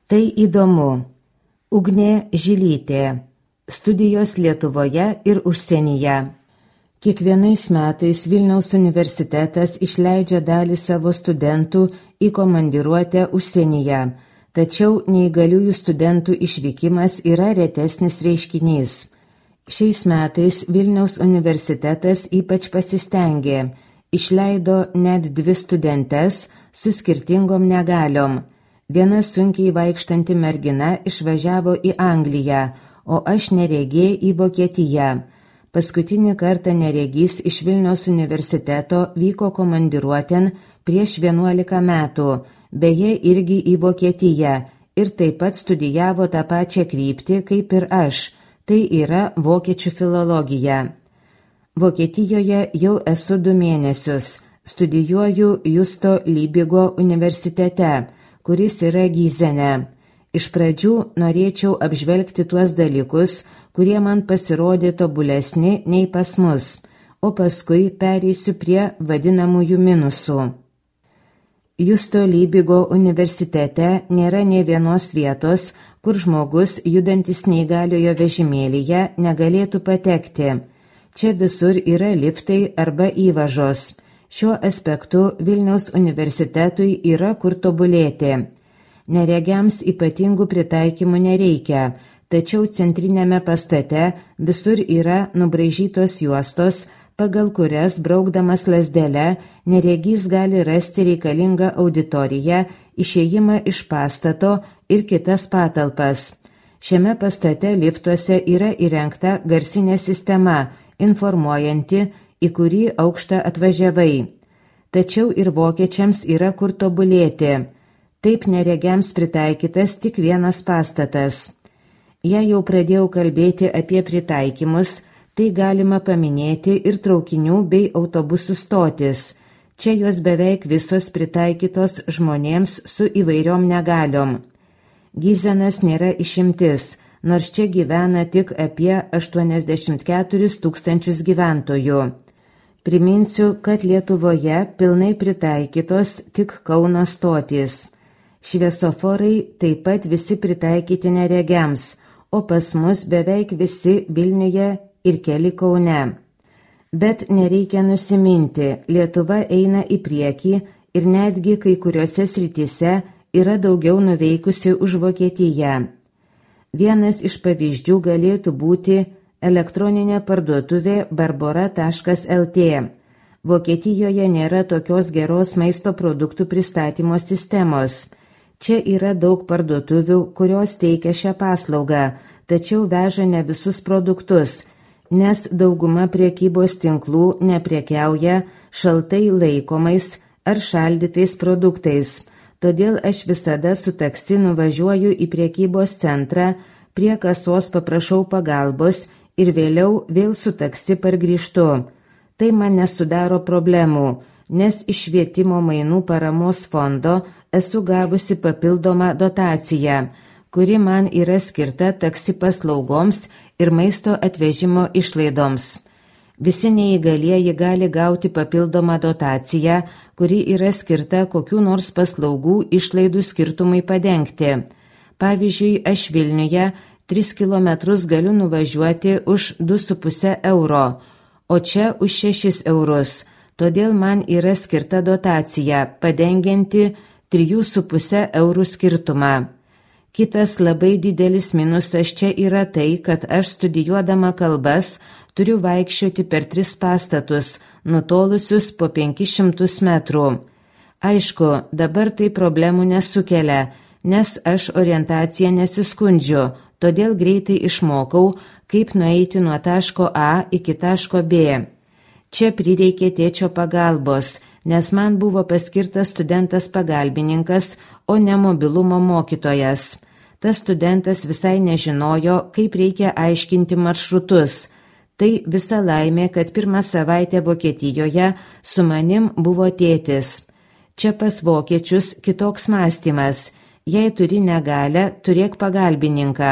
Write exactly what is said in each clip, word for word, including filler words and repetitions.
Tai įdomu. Ugnė Žilytė. Studijos Lietuvoje ir užsienyje. Kiekvienais metais Vilniaus universitetas išleidžia dalį savo studentų į komandiruotę užsienyje, tačiau neįgaliųjų studentų išvykimas yra retesnis reiškinys. Šiais metais Vilniaus universitetas ypač pasistengė, išleido net dvi studentes su skirtingom negaliom. Viena sunkiai vaikštanti mergina išvažiavo į Angliją, o aš neregė į Vokietiją. Paskutinį kartą neregys iš Vilniaus universiteto vyko komandiruotėn prieš vienuolika metų, beje irgi į Vokietiją, ir taip pat studijavo tą pačią kryptį kaip ir aš, tai yra vokiečių filologija. Vokietijoje jau esu du mėnesius, studijuoju Justo Lybigo universitete, kuris yra Gyzene. Iš pradžių norėčiau apžvelgti tuos dalykus, kurie man pasirodė tobulesni nei pas mus, o paskui pereisiu prie vadinamųjų minusų. Justo Lybigo universitete nėra nė vienos vietos, kur žmogus, judantis neįgaliojo vežimėlyje, negalėtų patekti. Čia visur yra liftai arba įvažos. Šiuo aspektu Vilniaus universitetui yra kur tobulėti. Neregiams ypatingų pritaikymų nereikia, tačiau centrinėme pastate visur yra nubraižytos juostos, pagal kurias braukdamas lazdele neregys gali rasti reikalingą auditoriją, išėjimą iš pastato ir kitas patalpas. Šiame pastate liftuose yra įrengta garsinė sistema, informuojanti, į kurį aukštą atvažiavai. Tačiau ir vokiečiams yra kur tobulėti. Taip neregiams pritaikytas tik vienas pastatas. Jei jau pradėjau kalbėti apie pritaikymus, tai galima paminėti ir traukinių bei autobusų stotis. Čia jos beveik visos pritaikytos žmonėms su įvairiom negaliom. Gyzenas nėra išimtis, nors čia gyvena tik apie aštuoniasdešimt keturis tūkstančius gyventojų. Priminsiu, kad Lietuvoje pilnai pritaikytos tik Kauno stotys. Šviesoforai taip pat visi pritaikyti neregiams, o pas mus beveik visi Vilniuje ir keli Kaune. Bet nereikia nusiminti, Lietuva eina į priekį ir netgi kai kuriuose srityse yra daugiau nuveikusi už Vokietiją. Vienas iš pavyzdžių galėtų būti elektroninė parduotuvė barbora taškas el tė. Vokietijoje nėra tokios geros maisto produktų pristatymo sistemos. Čia yra daug parduotuvių, kurios teikia šią paslaugą, tačiau veža ne visus produktus, nes dauguma prekybos tinklų neprekiauja šaltai laikomais ar šaldytais produktais. Todėl aš visada su taksi nuvažiuoju į prekybos centrą, prie kasos paprašau pagalbos ir vėliau vėl su taksi pargrįžtu. Tai man nesudaro problemų, nes iš švietimo mainų paramos fondo esu gavusi papildomą dotaciją, kuri man yra skirta taksi paslaugoms ir maisto atvežimo išlaidoms. Visi neįgalieji gali gauti papildomą dotaciją, kuri yra skirta kokių nors paslaugų išlaidų skirtumai padengti. Pavyzdžiui, aš Vilniuje tris kilometrus galiu nuvažiuoti už du su puse euro, o čia už šešis eurus. Todėl man yra skirta dotacija, padengianti trijų su puse eurų skirtumą. Kitas labai didelis minusas čia yra tai, kad aš studijuodama kalbas turiu vaikščioti per tris pastatus, nutolusius po penkis šimtus metrų. Aišku, dabar tai problemų nesukelia, nes aš orientaciją nesiskundžiu, todėl greitai išmokau, kaip nueiti nuo taško A iki taško B. Čia prireikė tėčio pagalbos, nes man buvo paskirtas studentas pagalbininkas, o ne mobilumo mokytojas. Tas studentas visai nežinojo, kaip reikia aiškinti maršrutus. Tai visa laimė, kad pirmą savaitę Vokietijoje su manim buvo tėtis. Čia pas vokiečius kitoks mąstymas. Jei turi negalią, turėk pagalbininką,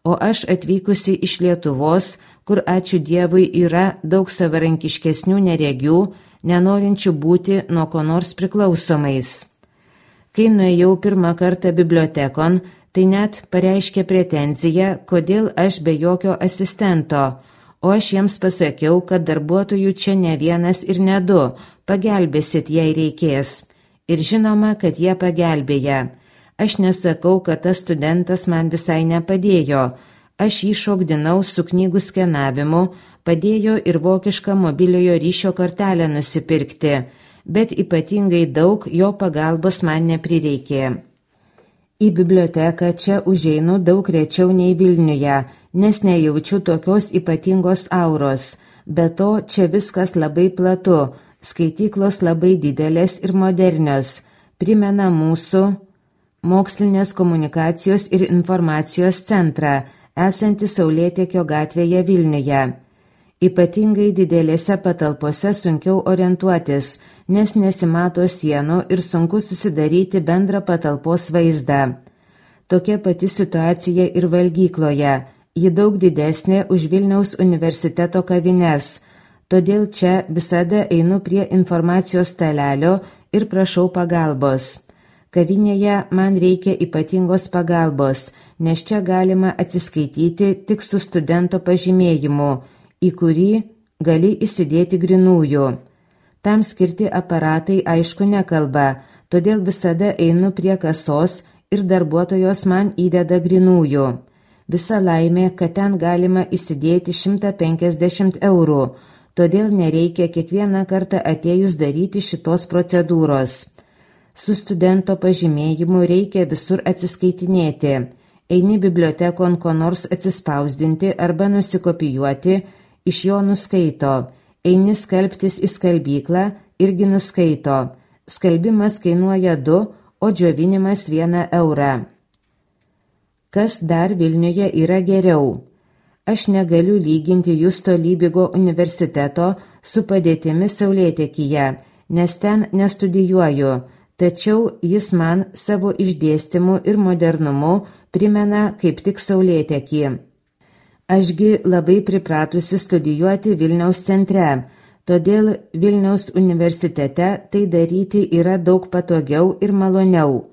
o aš atvykusi iš Lietuvos, kur ačiū Dievui yra daug savarankiškesnių neregių, nenorinčių būti nuo ko nors priklausomais. Kai nuėjau pirmą kartą bibliotekon, Tai net pareiškė pretenziją, kodėl aš be jokio asistento, o aš jiems pasakiau, kad darbuotojų čia ne vienas ir ne du, pagelbėsit, jei reikės. Ir žinoma, kad jie pagelbėja. Aš nesakau, kad tas studentas man visai nepadėjo. Aš jį šokdinau su knygų skenavimu, padėjo ir vokišką mobiliojo ryšio kortelę nusipirkti, bet ypatingai daug jo pagalbos man neprireikė. Į biblioteką čia užeinu daug rečiau nei Vilniuje, nes nejaučiu tokios ypatingos auros. Be to, čia viskas labai platu, skaityklos labai didelės ir modernios, primena mūsų mokslinės komunikacijos ir informacijos centrą, esantį Saulėtekio gatvėje Vilniuje. Ypatingai didelėse patalpose sunkiau orientuotis, nes nesimato sienų ir sunku susidaryti bendrą patalpos vaizdą. Tokia pati situacija ir valgykloje, ji daug didesnė už Vilniaus universiteto kavines, todėl čia visada einu prie informacijos stalelio ir prašau pagalbos. Kavinėje man reikia ypatingos pagalbos, nes čia galima atsiskaityti tik su studento pažymėjimu, į kurį gali įsidėti grinųjų. Tam skirti aparatai aišku nekalba, todėl visada einu prie kasos ir darbuotojos man įdeda grinųjų. Visa laimė, kad ten galima įsidėti šimtą penkiasdešimt eurų, todėl nereikia kiekvieną kartą atėjus daryti šitos procedūros. Su studento pažymėjimu reikia visur atsiskaitinėti. Eini bibliotekon ko nors atsispausdinti arba nusikopijuoti, iš jo nuskaito. Eini skalbtis į skalbyklą, irgi nuskaito. Skalbimas kainuoja du, o džiovinimas vieną eurą. Kas dar Vilniuje yra geriau? Aš negaliu lyginti Justo Lybigo universiteto su padėtimi Saulėtekyje, nes ten nestudijuoju, tačiau jis man savo išdėstymu ir modernumu primena kaip tik Saulėtekį. Ašgi labai pripratusi studijuoti Vilniaus centre, todėl Vilniaus universitete tai daryti yra daug patogiau ir maloniau.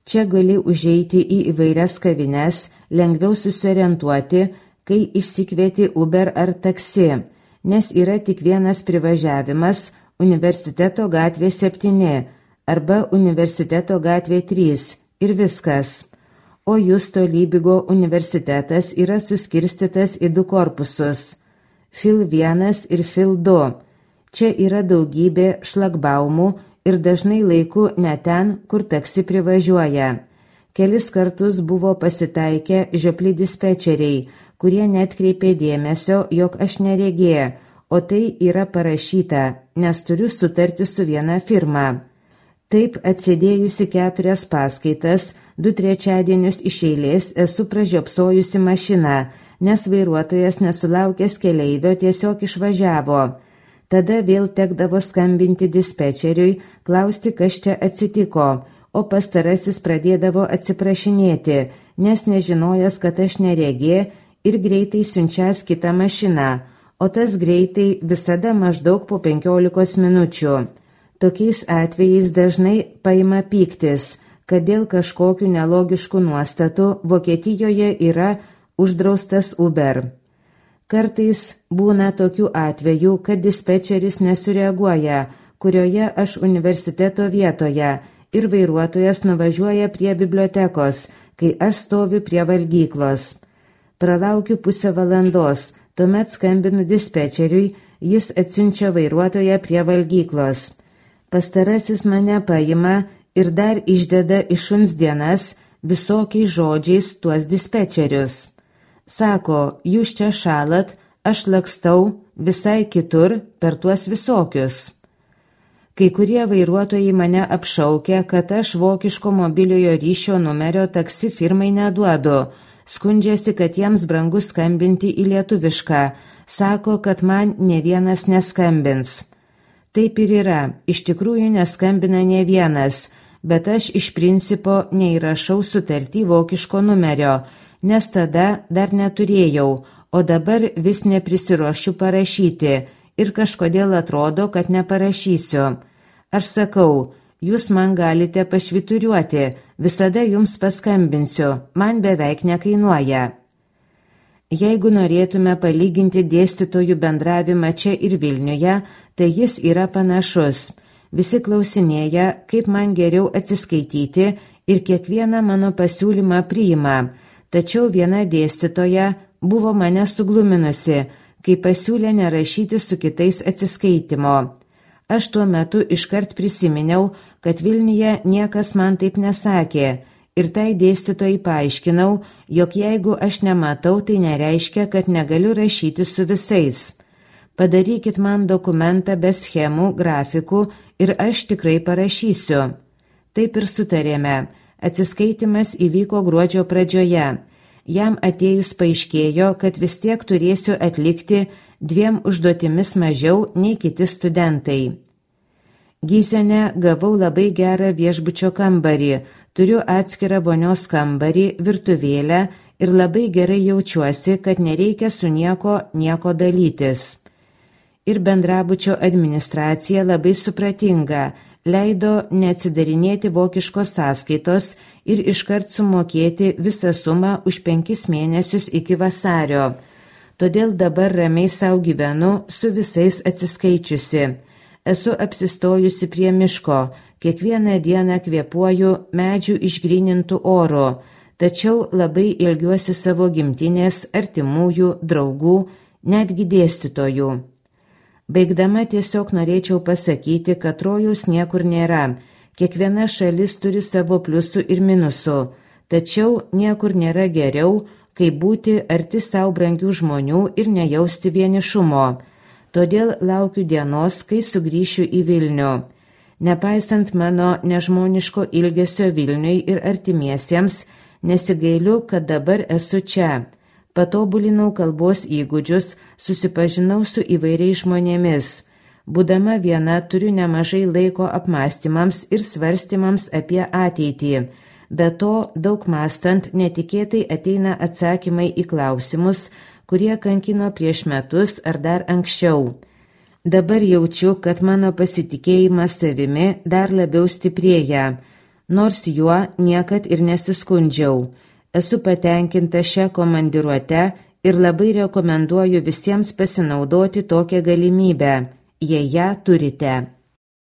Čia gali užeiti į įvairias kavines, lengviau susiorientuoti, kai išsikvieti Uber ar taksi, nes yra tik vienas privažiavimas Universiteto gatvė septyni arba Universiteto gatvė trys ir viskas. O Justo Lybigo universitetas yra suskirstytas į du korpusus – Fil vienas ir Fil du. Čia yra daugybė šlagbaumų ir dažnai laiku ne ten, kur taksi privažiuoja. Kelis kartus buvo pasitaikę žiopli dispečeriai, kurie netkreipė dėmesio, jog aš neregė, o tai yra parašyta, nes turiu sutarti su viena firma. Taip, atsėdėjusi keturias paskaitas, du trečiadienius iš eilės esu pražiopsojusi mašiną, nes vairuotojas nesulaukęs keleivio tiesiog išvažiavo. Tada vėl tekdavo skambinti dispečeriui, klausti, kas čia atsitiko, o pastarasis pradėdavo atsiprašinėti, nes nežinojęs, kad aš neregė ir greitai siunčias kitą mašiną, o tas greitai visada maždaug po penkiolikos minučių. Tokiais atvejais dažnai paima pyktis, kad dėl kažkokių nelogiškų nuostatų Vokietijoje yra uždraustas Uber. Kartais būna tokių atvejų, kad dispečeris nesureaguoja, kurioje aš universiteto vietoje, ir vairuotojas nuvažiuoja prie bibliotekos, kai aš stoviu prie valgyklos. Pralaukiu pusę valandos, tuomet skambinu dispečeriui, jis atsiunčia vairuotoją prie valgyklos. Pastarasis mane paima ir dar išdeda iš šuns dienas visokiais žodžiais tuos dispečerius. Sako, jūs čia šalat, aš lakstau visai kitur per tuos visokius. Kai kurie vairuotojai mane apšaukia, kad aš vokiško mobiliojo ryšio numerio taksi firmai neduodu, skundžiasi, kad jiems brangu skambinti į lietuvišką, sako, kad man ne vienas neskambins. Taip ir yra, iš tikrųjų neskambina ne vienas, bet aš iš principo neįrašau sutartį vokiško numerio, nes tada dar neturėjau, o dabar vis neprisiruošiu parašyti ir kažkodėl atrodo, kad neparašysiu. Aš sakau, Jūs man galite pašvituriuoti, visada jums paskambinsiu, man beveik nekainuoja. Jeigu norėtume palyginti dėstytojų bendravimą čia ir Vilniuje, tai jis yra panašus. Visi klausinėja, kaip man geriau atsiskaityti ir kiekvieną mano pasiūlymą priima, tačiau viena dėstytoja buvo mane sugluminusi, kai pasiūlė nerašyti su kitais atsiskaitimo. Aš tuo metu iškart prisiminiau, kad Vilniuje niekas man taip nesakė ir tai dėstytojai paaiškinau, jog jeigu aš nematau, tai nereiškia, kad negaliu rašyti su visais. Padarykit man dokumentą be schemų, grafikų ir aš tikrai parašysiu. Taip ir sutarėme. Atsiskaitimas įvyko gruodžio pradžioje. Jam atėjus paaiškėjo, kad vis tiek turėsiu atlikti dviem užduotimis mažiau nei kiti studentai. Gyzene gavau labai gerą viešbučio kambarį, turiu atskirą vonios kambarį, virtuvėlę ir labai gerai jaučiuosi, kad nereikia su nieko nieko dalytis. Ir bendrabučio administracija labai supratinga, leido neatsidarinėti vokiškos sąskaitos ir iškart sumokėti visą sumą už penkis mėnesius iki vasario. Todėl dabar ramiai sau gyvenu su visais atsiskaičiusi. Esu apsistojusi prie miško, kiekvieną dieną kvėpuoju medžių išgrynintų oro, tačiau labai ilgiuosi savo gimtinės, artimųjų, draugų, netgi dėstytojų. Baigdama tiesiog norėčiau pasakyti, kad rojaus niekur nėra, kiekviena šalis turi savo pliusų ir minusų, tačiau niekur nėra geriau, kaip būti arti savo brangių žmonių ir nejausti vienišumo. Todėl laukiu dienos, kai sugrįšiu į Vilnių. Nepaisant mano nežmoniško ilgesio Vilniui ir artimiesiems, nesigailiu, kad dabar esu čia. Patobulinau kalbos įgūdžius, susipažinau su įvairiais žmonėmis. Būdama viena turiu nemažai laiko apmąstymams ir svarstymams apie ateitį. Be to, daug mąstant, netikėtai ateina atsakymai į klausimus, kurie kankino prieš metus ar dar anksčiau. Dabar jaučiu, kad mano pasitikėjimas savimi dar labiau stiprėja, nors juo niekad ir nesiskundžiau. Esu patenkinta šią komandiruotę ir labai rekomenduoju visiems pasinaudoti tokią galimybę, jei ją turite.